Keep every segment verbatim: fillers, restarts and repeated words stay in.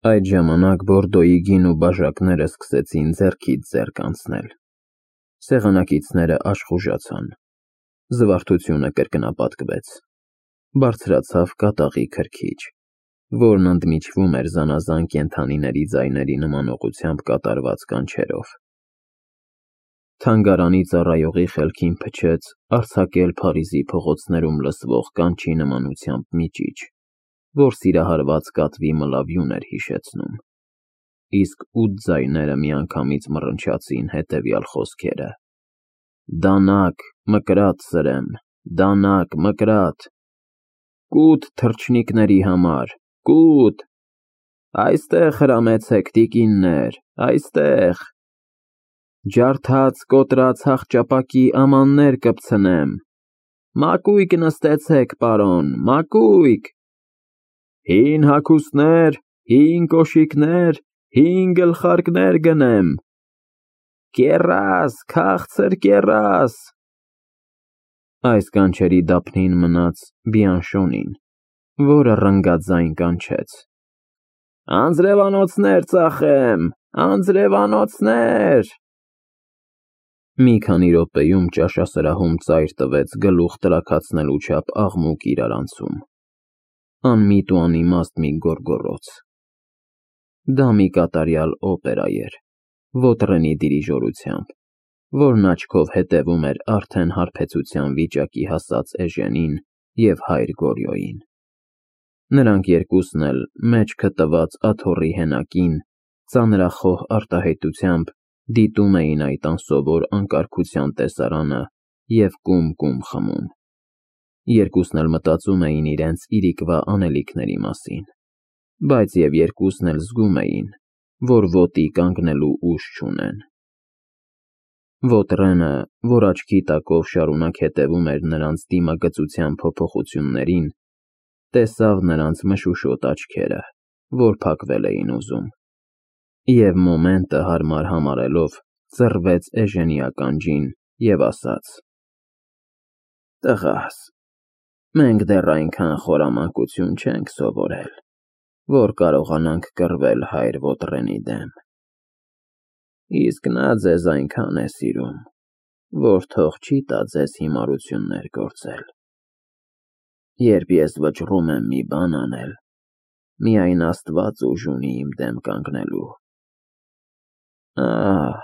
Այդ ժամանակ Բորդոյի գին ու բաժակները սկսեցին ձեռքից ձեռք անցնել, սեղանակիցները աշխուժացան, զվարթությունը կրկնապատկվեց, բարձրացավ կատաղի քրքիջ, որն ընդմիջվում էր զանազան կենդանիների ձայների նմանողությամբ կատարված կանչերով։ Թանգարանի ծառայողի խելքին փչեց արձակել Փարիզի փողոցներում լսվող կանչի նմանությամբ մի ճիչ, որ սիրահարված կատվի մլավյուն էր հիշեցնում, իսկ ութ ձայները միանգամից մռնչացին հետևյալ խոսքերը. «Դանակ, մկրատ սրեմ, դանակ, մկրատ, կուտ թռչնիկների համար, կուտ, այստեղ հրամեցեք, տիկիններ, այստեղ, ջարդած կոտրած հախճապակի ամաններ կպցնեմ, մակույկ նստեցեք, պարոն, մակույկ, հին հագուստներ, հին կոշիկներ, հին գլխարկներ գնեմ, կեռաս, քաղցր կեռաս»։ Այս կանչերի դափնին մնաց Բիանշոնին, որը ռնգաձայն կանչեց. «Անձրևանոցներ ծախեմ, անձրևանոցներ»։ Մի քանի րոպեում ճաշասրահում ծայր տվեց գլուխ տրաքացնելու չափ աղմուկ իրարանցում, անմիտ ու անիմաստ մի գոռգոռոց։ Դա մի կատարյալ օպերա էր, Վոտրենի դիրիժորությամբ, որն աչքով հետևում էր արդեն հարբեցության վիճակի հասած Էժենին և հայր Գորյոյին։ Նրանք երկուսն էլ, մեջքը տված աթոռի հենակին, ծանրախոհ արտահայտությամբ դիտում էին այդ անսովոր անկարգության տեսարանը և կում֊կում խմում։ Երկուսն էլ մտածում էին իրենց իրիկվա անելիքների մասին, բայց և երկուսն էլ զգում էին, որ ոտի կանգնելու ուժ չունեն։ Վոտրենը, որ աչքի տակով շարունակ հետևում էր նրանց դիմագծության փոփոխություններին, տեսավ նրանց մշուշոտ աչքերը, որ փակվել էին ուզում, և մոմենտը հարմար համարելով, ծռվեց Էժենի ականջին և ասաց. «Տղաս, մենք դեռ այնքան խորամանկություն չենք սովորել, որ կարողանանք կռվել հայր Վոտրենի դեմ, իսկ նա ձեզ այնքան է սիրում, որ թող չի տա ձեզ հիմարություններ գործել։ Երբ ես վճռում եմ մի բան անել, միայն Աստված ուժ ունի իմ դեմ կանգնելու։ Ահ,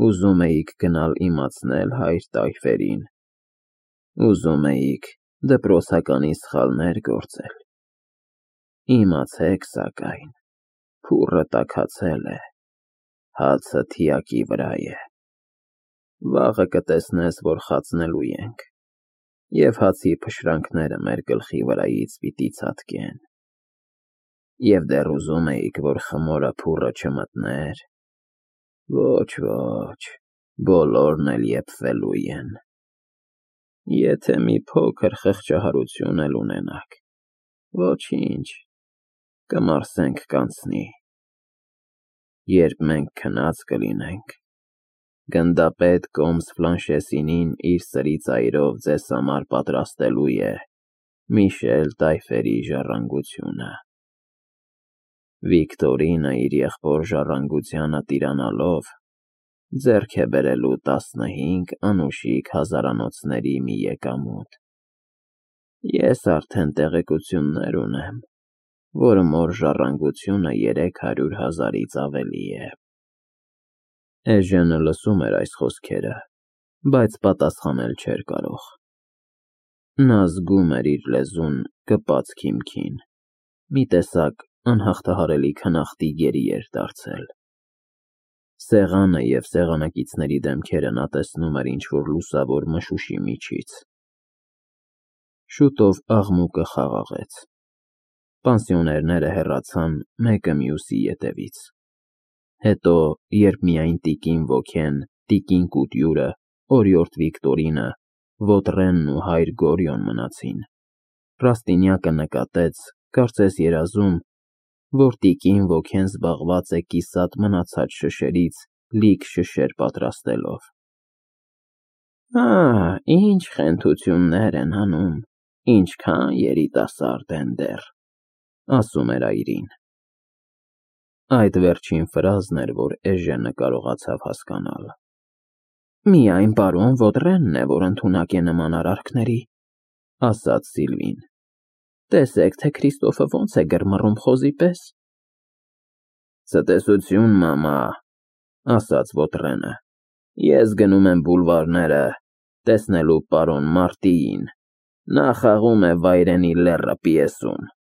ուզում էիք գնալ իմացնել հայր տայֆերին, ուզում էիք դպրոցականի սխալներ գործել, իմացեք սակայն, փուռը տաքացել է, հացը թիակի վրա է, վաղը կտեսնես, որ խածնելու ենք, և հացի փշրանքները մեր գլխի վրայից պիտի ցատկեն, և դեռ ուզում էիք, որ խմորը փուռը չմտներ, ոչ, ոչ, բոլորն էլ եփվելու են, եթե մի փոքր խղճահարություն էլ ունենաք, ոչինչ, կմարսենք կանցնի, երբ մենք քնած կլինենք, գնդապետ կոմս Ֆլանշեսինին իր սրի ծայրով ձեզ համար պատրաստելու է Միշել տայֆերի ժառանգությունը։ Վիկտորինը իր եղբոր ժառանգությանը տիրանալով, ձեռք է բերելու տասնհինգ անուշիկ հազարանոցների մի եկամուտ։ Ես արդեն տեղեկություններ ունեմ, որ մոր ժառանգությունը երեք հարյուր հազարից ավելի է։ Էժենը լսում էր այս խոսքերը, բայց պատասխանել չէր կարող։ Նա զգում էր իր լեզուն կպած քիմքին, մի տեսակ անհաղթահարելի քնախտի գերի էր դարձել։ Սեղանը և սեղանակիցների դեմքերը նա տեսնում էր ինչ-որ լուսավոր մշուշի միջից։ Շուտով աղմուկը խաղաղեց։ Պանսիոներները հեռացան մեկը մյուսի ետևից։ Հետո, երբ միայն տիկին Ոքեն, տիկին Կուտյուրը, օրիորդ Վիկտորինը, Վոտրենն ու հայր Գորյոն մնացին, Ռաստինյակը նկատեց, կարծես երազում, որ տիկին Ոքեն զբաղված է կիսատ մնացած շշերից լիք շշեր պատրաստելով։ Ահ, ինչ խենթություններ են անում, ինչքան երիտասարդ են դեռ, ասում էր այրին։ Այդ վերջին ֆրազն էր, որ Էժենը կարողացավ հասկանալ։ Միայն պարոն Ոդռենն է, որ ընդունակ է նման արարքների, ասաց Սիլվին։ Տեսեք, թե Քրիստոֆը ոնց է գրմռում խոզի պես։ Ցտեսություն, մամա, ասաց Ոդռենը։ Ես գնում եմ բուլվարները, տեսնելու պարոն Մարտիին։ Նա խաղում է Վայրենի լեռը պիեսում։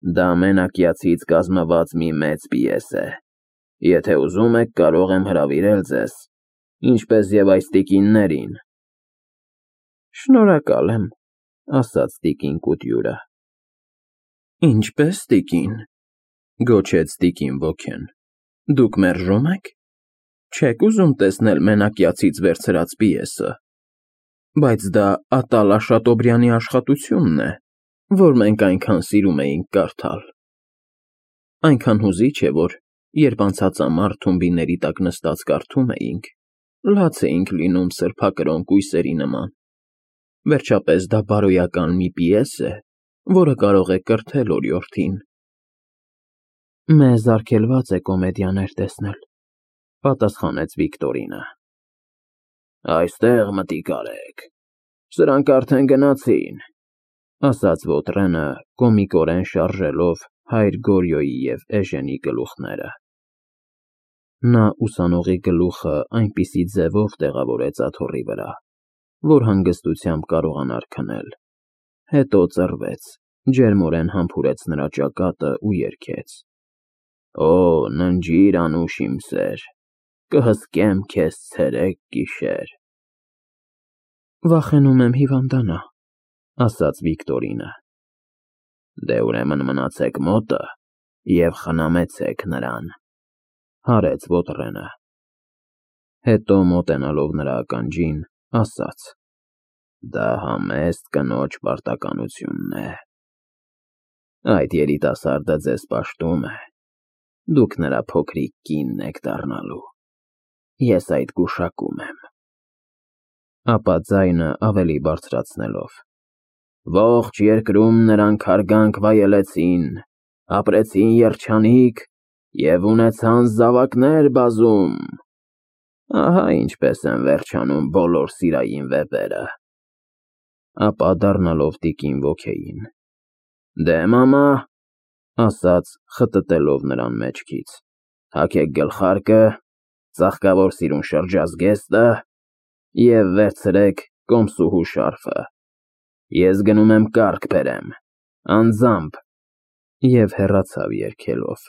Դա մենակյացից կազմված մի մեծ պիես է։ Եթե ուզում եք, կարող եմ հրավիրել ձեզ, ինչպես եւ այս տիկիններին։ Շնորհակալ եմ, ասաց տիկին Կուտյուրը։ Ինչպես տիկին, գոչեց տիկին Բոքեն։ Դուք մերժում եք։ Չեք ուզում տեսնել մենակյացից վերցրած պիեսը։ Բայց դա Ատալա Շատոբրյանի աշխատությունն է, որ մենք այնքան սիրում էինք կարդալ։ Այնքան հուզիչ է, որ երբ անցած ամառ թումբիների տակ նստած կարդում էինք, լաց էինք լինում սրբակրոն կույսերի նման։ Վերջապես դա բարոյական մի պիես է, որը կարող է կրթել օրիորդին։ Մեզ արգելված է կոմեդիաներ տեսնել, պատասխանեց Վիկտորինը։ Այստեղ մտիկ արեք, սրանք արդեն գնացին, ասաց Ոդռենը, կոմիկորեն շարժելով հայր Գորյոյի և Էժենի գլուխները։ Նա ուսանողի գլուխը այնպիսի ձևով տեղավորեց աթոռի վրա, որ հանգստությամբ կարողանար քնել, հետո ծռվեց, ջերմորեն համբուրեց նրա ճակատը ու երգեց. Օ, ննջիր անուշ իմ սեր, կհսկեմ քեզ ցերեկ գիշեր։ Վախենում եմ հիվանդանա, ասաց Վիկտորինը։ Դե ուրեմն մնացեք մոտը և խնամեցեք նրան, հարեց Ոդռենը։ Հետո մոտենալով նրա ականջին, ասաց. Դա համեստ կնոջ պարտականությունն է։ Այդ երիտասարդը ձեզ պաշտում է, դուք նրա փոքրիկ կինն եք դառնալու։ Ես այդ գուշակում եմ։ Ապա ձայնը ավելի բարձրացնելով. Ողջ երկրում նրանք հարգանք վայելեցին, ապրեցին երջանիկ և ունեցան զավակներ բազում։ Ահա ինչպես են վերջանում բոլոր սիրային վեպերը։ Ապա դառնալով տիկին Բոքեին. Դե մամա, ասաց, խտտելով նրան մեջքից, հագեք գլխարկը, ծաղկավոր սիրուն շրջազգեստը և վերցրեք կոմսուհու շարֆը։ Ես գնում եմ կառք բերեմ, անձամբ, և հեռացավ երգելով.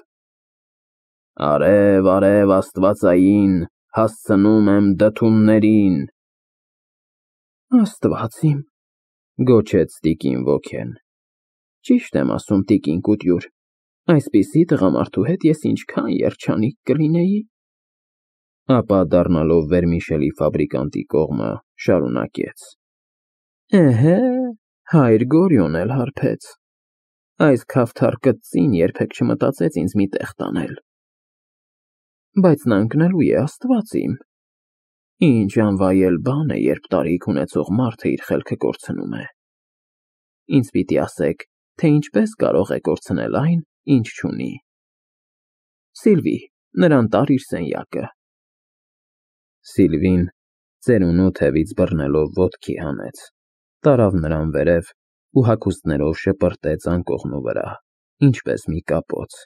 Արև, արև աստվածային, հասցնում եմ դդումներին։ Աստված իմ, գոչեց տիկին Բոքեն։ Ճիշտ եմ ասում, տիկին Կուտյուր, այսպիսի տղամարդու հետ ես ինչքան երջանիկ կլինեի։ Ապա դառնալով վերմիշելի ֆաբրիկանտի կողմը, շարունակեց. Էհե, հայր Գորյոն էլ հարբեց։ Այս քավթար կծին երբեք չմտածեց ինձ մի տեղ տանել։ Բայց նա ընկնելու է, աստված իմ։ Ինչ անվայել բան է, երբ տարիք ունեցող մարդը իր խելքը կորցնում է։ Ինձ պիտի ասեք, թե ինչպես կարող է կորցնել այն, ինչ չունի։ Սիլվի, նրան տար իր սենյակը։ Սիլվին ծերունու թևից բռնելով ոտքի հանեց, տարավ նրան վերև ու հագուստներով շպրտեց անկողնու վրա, ինչպես մի կապոց։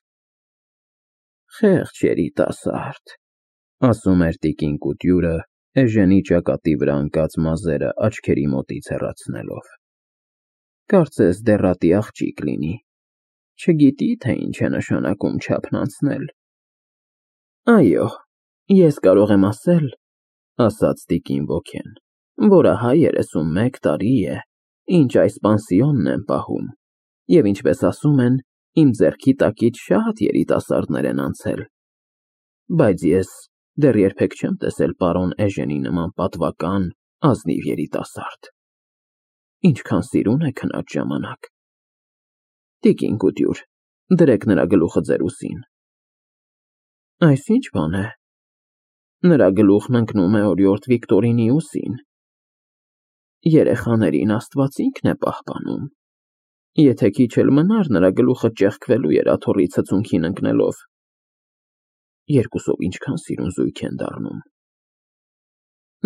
Խեղճ երիտասարդ, ասում էր տիկին Կուտյուրը, Էժենի ճակատի վրա ընկած մազերը աչքերի մոտից հեռացնելով։ Կարծես դեռատի աղջիկ լինի, չգիտի, թե ինչ է նշանակում չափն անցնել։ Այո, ես կարող եմ ասել, ասաց տիկին Բոքեն, որը հայ երեսունմեկ տարի է, ինչ այս պանսիոնն եմ պահում, և ինչպես ասում են, իմ ձեռքի տակից շատ երիտասարդներ են անցել, բայց ես դեռ երբեք չեմ տեսել պարոն Էժենի նման պատվական, ազնիվ երիտասարդ։ Ինչքան սիրուն է քնած ժամանակ։ Տիկին Կուտյուր, դրեք նրա գլուխը ձեր ուսին։ Այս ինչ բան է։ Նրա գլուխն ընկնում է օրիորդ Վիկտորինի ուսին։ Երեխաներին Աստված ինքն է պահպանում։ Եթե քիչ էլ մնար, նրա գլուխը ճեղքվելու էր աթոռի ցցունքին ընկնելով, երկուսով ինչքան սիրուն զույգ են դառնում։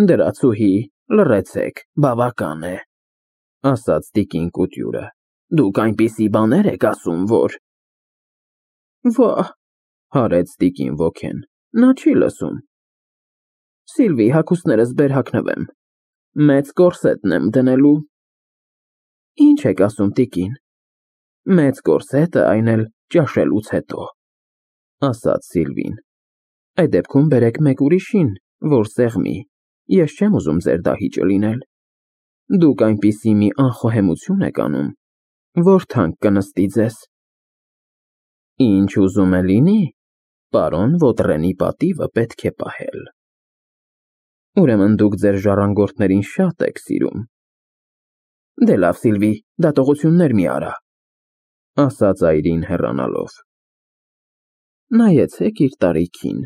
Դրացուհի, լռեցեք, բավական է, ասաց տիկին Կուտյուրը։ Դուք այնպիսի բաներ եք ասում, որ… Վա՜, հարեց տիկին Ոքեն, նա չի լսում։ Սիլվի, հագուստներս բեր հագնվեմ, մեծ կորսետն եմ դնելու։ Ինչ եք ասում, տիկին, մեծ կորսետը, այն էլ ճաշելուց հետո, ասաց Սիլվին։ Այդ դեպքում բերեք մեկ ուրիշին, որ սեղմի, ես չեմ ուզում ձեր դահիճը լինել։ Դուք այնպիսի մի անխոհեմություն եք անում, որ թանկ կնստի ձեզ։ Ինչ ուզում է լինի, պարոն Ոտրենի պատիվը պետք է պահել։ Ուրեմն դուք ձեր ժառանգորդներին շատ եք սիրում։ Դե լավ, Սիլվի, դատողություններ մի արա, ասաց այրին հեռանալով։ Նայեցեք իր տարիքին,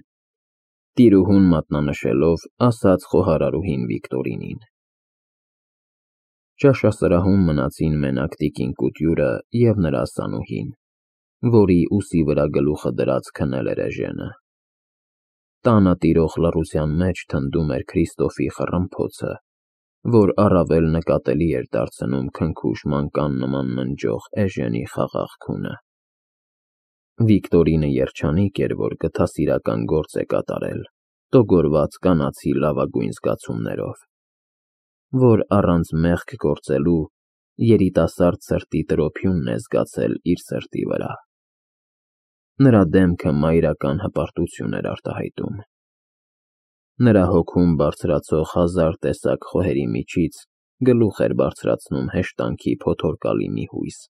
տիրուհուն մատնանշելով, ասաց խոհարարուհին Վիկտորինին։ Ճաշասրահում մնացին մենակ տիկին Կուտյուրը և նրա ասանուհին, որի ուսի վրա գլուխը դրած քնել էր էժենը։ Տանը տիրող լռության մեջ թնդում էր Քրիստոֆի խռմփոցը, որ առավել նկատելի էր դարձնում քնքուշ մանկան նման ննջող էժենի խաղաղ քունը։ Վիկտորինը երջանիկ էր, որ գթասիրական գործ է կատարել, տոգորված կանացի լավագույն զգացումներով, որ առանց մեղք գործելու երիտասարդ սրտի տրոփյունն է զգացել իր սրտի վրա։ Նրա դեմքը մայրական հպարտություն էր արտահայտում։ Նրա հոգում բարձրացող հազար տեսակ խոհերի միջից գլուխ էր բարձրացնում հեշտանքի փոթորկալի մի հույս,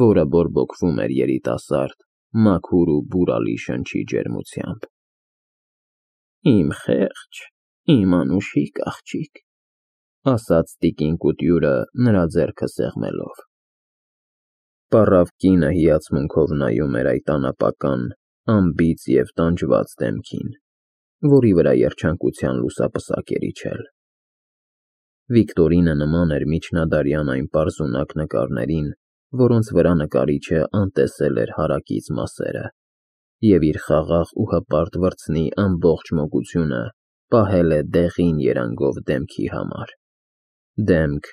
որը բորբոքվում էր երիտասարդ, մաքուր ու բուրալի շնչի ջերմությամբ։ Իմ խեղճ, իմ անուշիկ աղջիկ, ասաց տիկին Կուտյուրը նրա ձեռքը սեղմելով։ Պառավ կինը հիացմունքով նայում էր այդ անապական, անբիծ և տանջված դեմքին, որի վրա երջանկության լուսապսակ էր իջել։ Վիկտորինը նման էր միջնադարյան այն պարզունակ նկարներին, որոնց վրա նկարիչը անտեսել էր հարակից մասերը, և իր խաղաղ ու հպարտ վրձնի ամբողջ մոգությունը պահել է դեղին երանգով դեմքի համար, դեմք,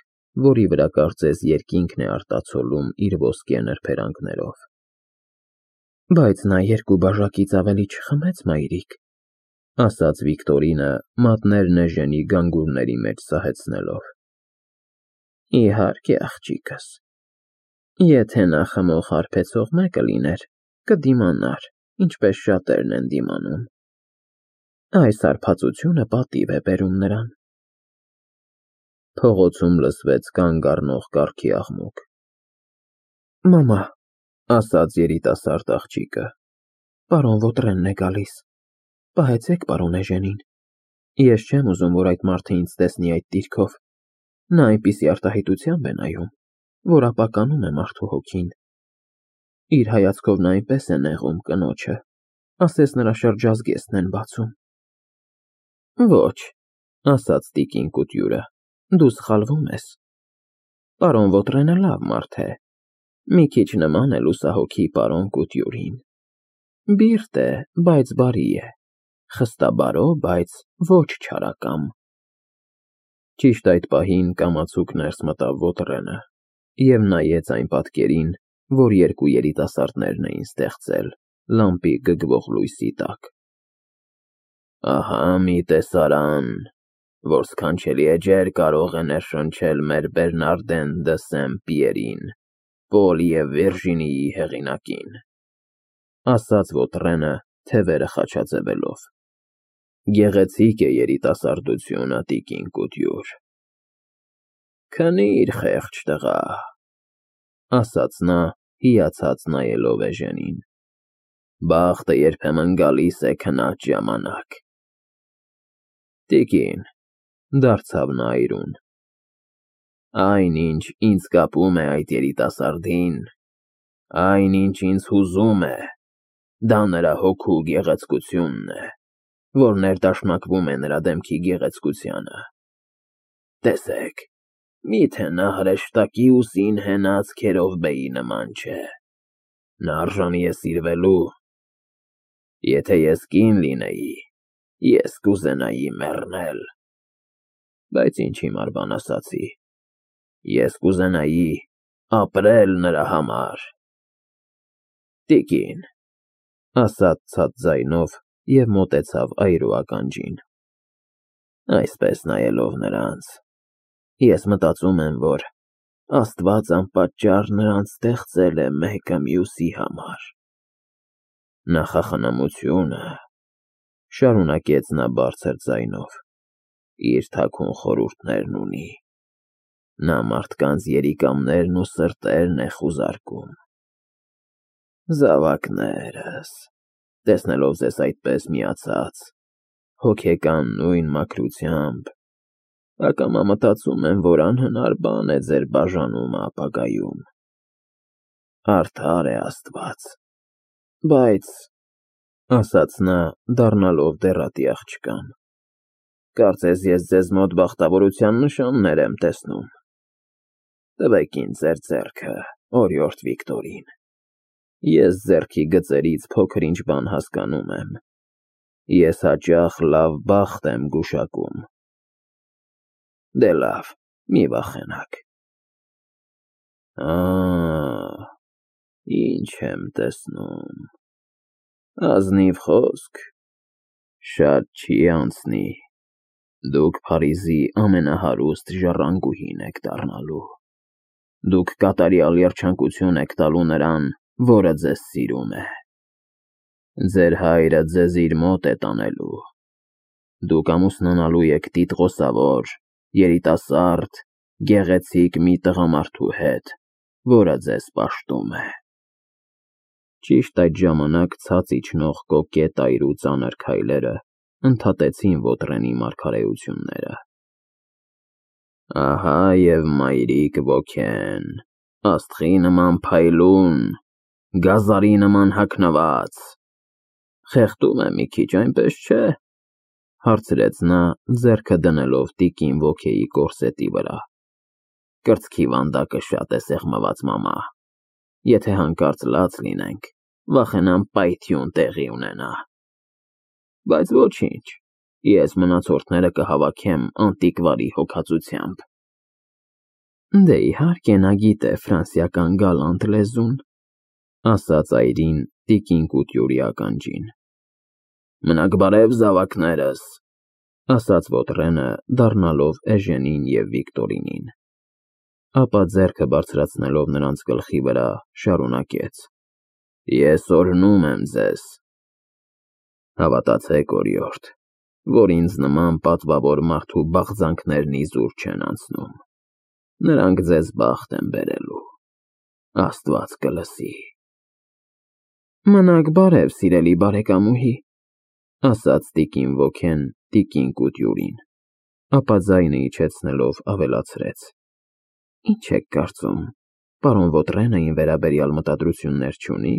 որի վրա կարծես երկինքն է արտացոլում իր ոսկե նրբերանգներով։ Բայց նա երկու բաժակից ավելի չխմեց, մայրիկ, ասաց Վիկտորինը, մատներն էժենի գանգուրների մեջ սահեցնելով։ Իհարկե, աղջիկս, եթե նա խմող հարբեցող մեկը լիներ, կդիմանար, ինչպես շատերն են դիմանում։ Այս հարբածությունը պատիվ է բերում նրան։ Փողոցում լսվեց կանգ առնող կառքի աղմուկ։ Մամա, ասաց երիտասարդ աղջիկը, պարոն Ոտրենն է գալիս։ Պահեցեք պարոն էժենին։ Ես չեմ ուզում, որ այդ մարդը ինձ տեսնի այդ դիրքով։ Նա այնպիսի արտահայտությամբ է նայում, որ ապականում է մարդու հոգին։ Իր հայացքով նա այնպես է նեղում կնոջը, ասես նրա շրջազգեստն են բացում։ Ոչ, ասաց տիկին Կուտյուրը, դու սխալվում ես։ Պարոն Ոտրենը լավ մարդ է, մի քիչ նման է լուսահոգի պարոն Կուտյուրին։ Բիրտ է, բայց բարի է, խստաբարո, բայց ոչ չարակամ։ Ճիշտ այդ պահին կամացուկ ներս մտավ Ոտրենը և նայեց այն պատկերին, որ երկու երիտասարդներն էին ստեղծել լամպի գգվող լույսի տակ։ Ահա մի տեսարան, որ սքանչելի էջեր կարող է ներշնչել մեր Բերնարդեն դը Սեն֊Պիերին, Պոլ և Վիրջինիի հեղինակին, ասաց Ոտրենը, թևերը խաչաձևելով։ Գեղեցիկ է երիտասարդությունը, տիկին Կուտյուր։ Քնիր, խեղճ տղա, ասաց նա, հիացած նայելով էժենին։ Բախտը երբեմն գալիս է քնած ժամանակ։ Տիկին, դարձավ նա այրուն, այն, ինչ ինձ կապում է այդ երիտասարդին, այն, ինչ ինձ հուզում է, դա նրա հոգու գեղեցկությունն է, որ ներդաշնակվում է նրա դեմքի գեղեցկությանը։ Տեսեք, միթե նա հրեշտակի ուսին հենած Քերովբեի նման չէ։ Նա արժանի է սիրվելու։ Եթե ես կին լինեի, ես կուզենայի մեռնել, բայց ինչ հիմար բան ասացի, ես կուզենայի ապրել նրա համար։ Տիկին, ասաց ցած ձայնով և մոտեցավ այրու ականջին։ Այսպես նայելով նրանց, ես մտածում եմ, որ Աստված անպատճառ նրանց ստեղծել է մեկը մյուսի համար։ Նախախնամությունը, շարունակեց նա բարձր ձայնով, իր թաքուն խորհուրդներն ունի։ Նա մարդկանց երիկամներն ու սրտերն է խուզարկում։ Զավակներս, տեսնելով ձեզ այդպես միացած, հոգեկան նույն մաքրությամբ, ակամա մտածում եմ, որ անհնար բան է ձեր բաժանումը ապագայում։ Արդար է Աստված, բայց, ասաց նա, դառնալով դեռատի աղջկան, կարծես ես ձեզ մոտ բախտավորության նշաններ եմ տեսնում։ Տվեք ինձ ձեր ձեռքը, օրիորդ Վիկտորին։ Ես ձեռքի գծերից փոքր-ինչ բան հասկանում եմ։ Ես հաճախ լավ բախտ եմ գուշակում։ Դե լավ, մի վախենաք։ Ա, ինչ եմ տեսնում։ Ազնիվ խոսք, շատ չի անցնի, դուք Փարիզի ամենահարուստ ժառանգուհին եք դառնալու։ Դուք կատարյալ երջանկություն եք տալու նրան, որը ձեզ սիրում է։ Ձեր հայրը ձեզ իր մոտ է տանելու։ Դուք ամուսնանալու եք տիտղոսավոր, երիտասարդ, գեղեցիկ մի տղամարդու հետ, որը ձեզ պաշտում է։ Ճիշտ այդ ժամանակ ցած իջնող կոկետ այրու ծանր քայլերը ընդհատեցին Ոտրենի մարգարեությունները։ Ահա և մայրիկ ոգեն, աստղի նման փայլուն, գազարի նման հագնված։ Խեղդում եմ մի քիչ, այնպես չէ՞, հարցրեց նա, ձեռքը դնելով տիկին ոգեի կորսետի վրա։ Կրծքի վանդակը շատ է սեղմված, մամա։ Եթե հանկարծ լաց լինենք, վախենամ պայթյուն տեղի ունենա։ Բայց ոչինչ, ես մնացորդները կհավաքեմ անտիկվարի հոգածությամբ։ Դե իհարկե նա գիտե ֆրանսիական գալանտ լեզուն, ասաց այրին տիկին Կուտյուրի ականջին։ Մնաք բարև, զավակներս, ասաց Ոտրենը, դառնալով Էժենին և Վիկտորինին։ Ապա ձեռքը բարձրացնելով նրանց գլխի վրա, շարունակեց. Ես օրհնում եմ ձեզ։ Հավատացեք, օրիորդ, որ ինձ նման պատվավոր մարդու բաղձանքներն իզուր չեն անցնում։ Նրանք ձեզ բախտ են բերելու։ Աստված կլսի։ Մնաք բարև, սիրելի բարեկամուհի, ասաց տիկին ոգեն տիկին Կուտյուրին, ապա ձայնը իջեցնելով ավելացրեց. Ինչ եք կարծում, պարոն Ոտրենը ին վերաբերյալ մտադրություններ չունի։